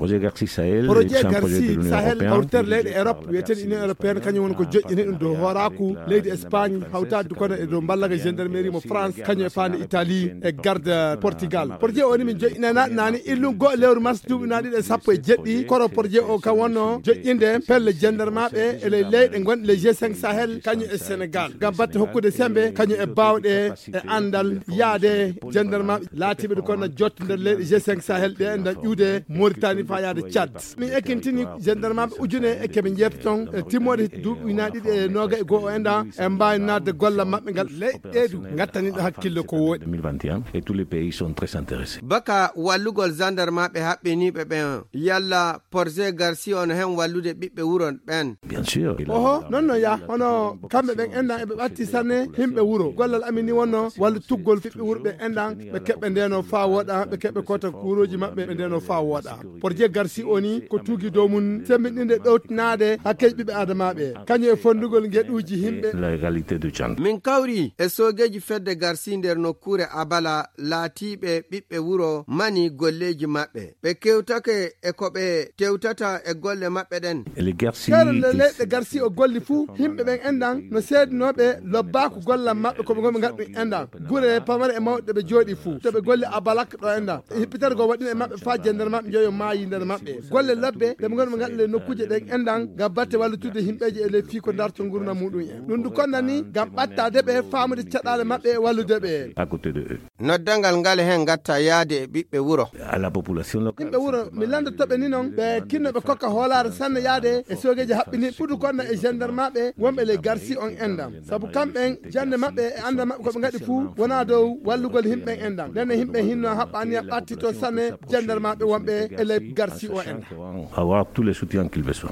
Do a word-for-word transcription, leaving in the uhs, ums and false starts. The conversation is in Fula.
Projet Garci Sahel, projet Garci Sahel, hawtere leyɗe Europe, wiyeten Union Européenne, kañum woni ko joƴƴini ɗum dow hooraaku leydi Espagne, hawtaade kono e dow mballaga gendarmerie mo France, kañum e faande Italie, e garde Portugal. Projet o ni min joƴƴinanaaɗo naani, illun goo lewru mars duuɓi ujunaaji ɗiɗi e sappo e jeɗɗi, koro projet o kam wonno joƴƴinde pelle gendarmeɓe e ley leyɗe gonɗe ley G cinq Sahel, kañum e Sénégal, ngam batte hokkude sembe, kañum e baawɗe e anndal yaade gendarmeɓe laatiiɓe ɗo kono jotto nder leyɗe G cinq Sahel ɗe, nda ƴuude Mauritanie faa yaade Tchad. Min ekkintini gendarmeɓe ujune e keɓe jeeta toon, e timmoode duuɓi ujunaaji ɗiɗi e noogay e goo o enɗan, e mbaawi naatde gollal maɓɓe ngal. Leyɗe ɗee du ngattani ɗo hakkille ko wooɗi. Deux mille vingt et un, et tous les pays sont très intéressés. Baka wallugol gendarmeɓe haɓɓiniiɓe ɓen, yalla projet Garci o no hen wallude ɓiɓɓe wuro ɓen? Bien sûr. Oho, non, non, ya. Hono kamɓe ɓen enɗan eɓe ɓatti sanne yimɓe wuro. Gollal amin ni wonno wallutuggol ɓiɓɓe wuro ɓe enɗan, ɓe keɓɓe ndeno faa wooɗa, ɓe keɓɓe kota kuurooji maɓɓe, ɓe ndeno faa wooɗa. Projet Garci o ni ko tuugi dow mun semmbinɗinde ɗowtinaade hakkeeji ɓiɓɓe aadamaaɓe, kañum e fonndugol ngeɗuuji yimɓe. La réalité de Tchad. Min kawri e soogeeji fedde Garci nder nokkuure Abala, laatiiɓe ɓiɓɓe wuro mani golleeji maɓɓe. Ɓe kewtake e ko ɓe tewtata e golle maɓɓe ɗen. Kere nde leyɗe Garci o golli fuu, yimɓe ɓen enɗan no seedinooɓe lobbaaku gollal maɓɓe ko ɓe ngonɓe ngaɗɗum enɗan. Gure pamare e mawɗe ɓe jooɗi fuu, to ɓe golli Abalak ɗo enɗan. E hippitere goo waɗɗii e maɓɓe faa gendarmeɓe njoyo maayi nder maɓɓe. Golle labbe ɗe ɓe ngonɓe ngaɗɗum ley nokkuuje ɗen enɗan ngam batte wallutude yimɓeeji e ley fii ko darto ngurndan muɗum en. Ɗum du konnani ngam ɓattaade ɓe, faamude caɗaale maɓɓe e wallude ɓe. Noddangal ngal e hen ngatta yaade e ɓiɓɓe wuro. Yimɓe wuro, mi lanndoto ɓe ni non, ɓe kinno ɓe kokka hoolaare sanne yaade e soogeeji haɓɓini fudu konna e gendarmeɓe wonɓe ley Garci on enɗan. Sabu kamɓen, jannde maɓɓe e anndal maɓɓe ko ɓe ngaɗi fuu wonaa dow wallugol yimɓe ɓen enɗan. Nden no yimɓe hinno haɓɓa aniya ɓattito sanne gendarmeɓe wonɓe e ley Garci o enɗan. Avoir tous les soutiens qu'ils besoin.